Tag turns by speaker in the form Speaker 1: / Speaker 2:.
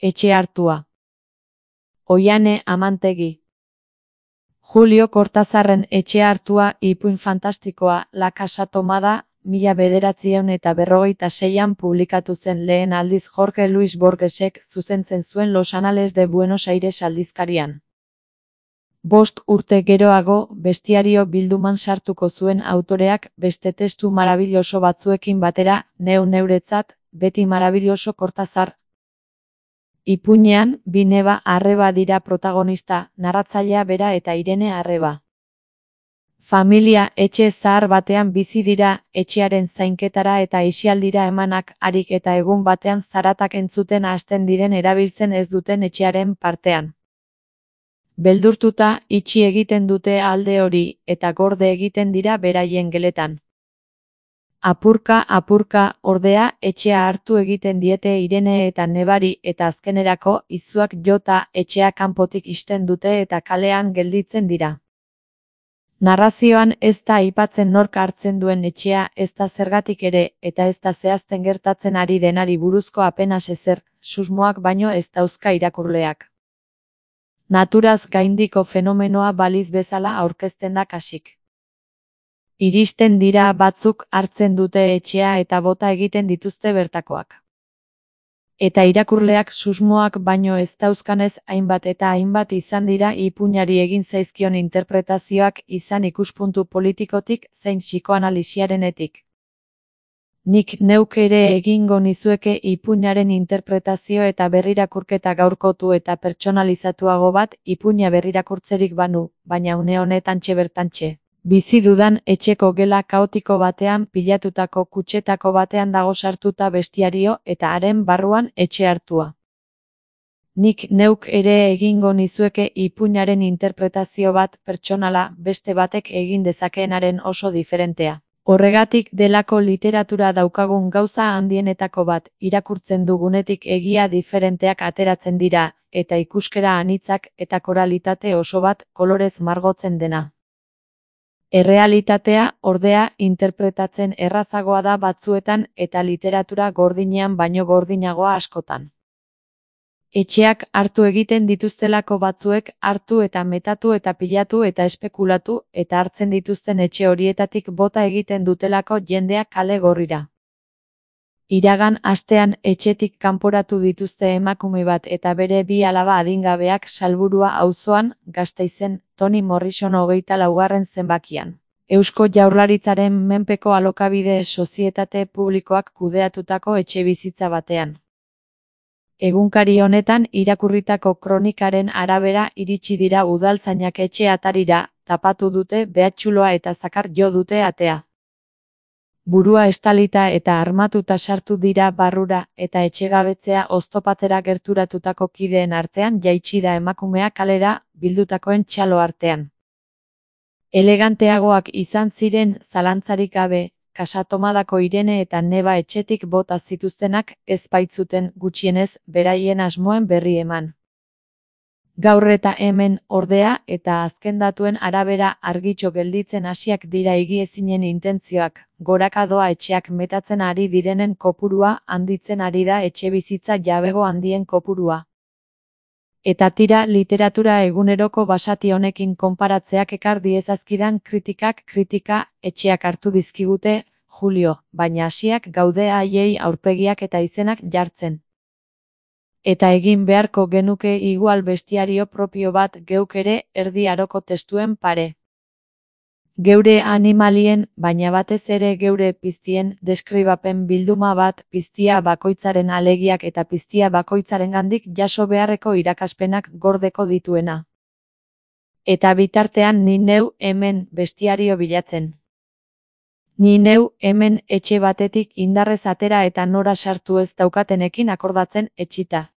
Speaker 1: Etxe hartua. Oiane Amantegi. Julio Cortazarren Etxe hartua ipuin fantastikoa La Casa Tomada, 1956an publikatu zen lehen aldiz Jorge Luis Borgesek zuzentzen zuen Los Anales de Buenos Aires aldizkarian. 5 urte geroago, bestiario bilduman sartuko zuen autoreak beste testu marabilloso batzuekin batera, neuretzat, beti marabilloso Cortazar. Ipuinean, bi neba arreba dira protagonista, narratzailea bera eta Irene arreba. Familia etxe zahar batean bizi dira, etxearen zainketara eta aisialdira emanak harik eta egun batean zaratak entzuten hasten diren erabiltzen ez duten etxearen partean. Beldurtuta, itxi egiten dute alde hori, eta gorde egiten dira beraien geletan. Apurka, ordea, etxea hartu egiten diete Irene eta nebari eta azkenerako, izuak jota, etxea kanpotik ixten dute eta kalean gelditzen dira. Narrazioan ez da aipatzen nork hartzen duen etxea, ez da zergatik ere, eta ez da zehazten gertatzen ari denari buruzko apenas ezer, susmoak baino ez dauzka irakurleak. Naturaz gaindiko fenomenoa baliz bezala aurkezten da kasik. Iristen dira batzuk hartzen dute etxea eta bota egiten dituzte bertakoak. Eta irakurleak susmoak baino ez dauzkanez hainbat eta hainbat izan dira ipuinari egin zaizkion interpretazioak izan ikuspuntu politikotik zein psikoanalisiarenetik. Nik neuk ere egingo nizueke ipuinaren interpretazio eta berrirakurketa gaurkotu eta pertsonalizatuago bat ipuina berrirakurtzerik banu, baina une honetantxe bertantxe. Bizi dudan etxeko gela kaotiko batean pilatutako kutxetako batean dago sartuta bestiario eta haren barruan etxe hartua. Nik neuk ere egingo nizueke ipuinaren interpretazio bat pertsonala beste batek egin dezakeenaren oso diferentea. Horregatik delako literatura daukagun gauza handienetako bat, irakurtzen dugunetik egia diferenteak ateratzen dira, eta ikuskera anitzak eta koralitate oso bat kolorez margotzen dena. Errealitatea, ordea, interpretatzen errazagoa da batzuetan eta literatura gordinean baino gordinagoa askotan. Etxeak hartu egiten dituztelako batzuek hartu eta metatu eta pilatu eta espekulatu eta hartzen dituzten etxe horietatik bota egiten dutelako jendeak kale gorrira. Iragan astean etxetik kanporatu dituzte emakume bat eta bere 2 alaba adingabeak Salburua auzoan, Gasteizen, Toni Morrison 24. zenbakian. Eusko Jaurlaritzaren menpeko alokabide sozietate publikoak kudeatutako etxebizitza batean. Egunkari honetan irakurritako kronikaren arabera iritsi dira udaltzainak etxe atarira, tapatu dute behatxuloa eta zakar jo dute atea. Burua estalita eta armatuta sartu dira barrura eta etxegabetzea oztopatzera gerturatutako kideen artean jaitsi da emakumea kalera bildutakoen txalo artean. Eleganteagoak izan ziren zalantzarik gabe, Casa Tomadako Irene eta neba etxetik bota zituztenak ez baitzuten gutxienez beraien asmoen berri eman. Gaur eta hemen, ordea, eta azken datuen arabera argitxo gelditzen hasiak dira egiezinen intentzioak, goraka doa etxeak metatzen ari direnen kopurua, handitzen ari da etxebizitza jabego handien kopurua. Eta tira literatura eguneroko basati honekin konparatzeak ekar diezazkidan kritika etxeak hartu dizkigute, Julio, baina hasiak gaude haiei aurpegiak eta izenak jartzen. Eta egin beharko genuke igual bestiario propio bat geuk ere erdi aroko testuen pare. Geure animalien, baina batez ere geure piztien deskribapen bilduma bat piztia bakoitzaren alegiak eta piztia bakoitzarengandik jaso beharreko irakaspenak gordeko dituena. Eta bitartean ni neu hemen bestiario bilatzen. Ni neu hemen etxe batetik indarrez atera eta nora sartu ez daukatenekin akordatzen etxita.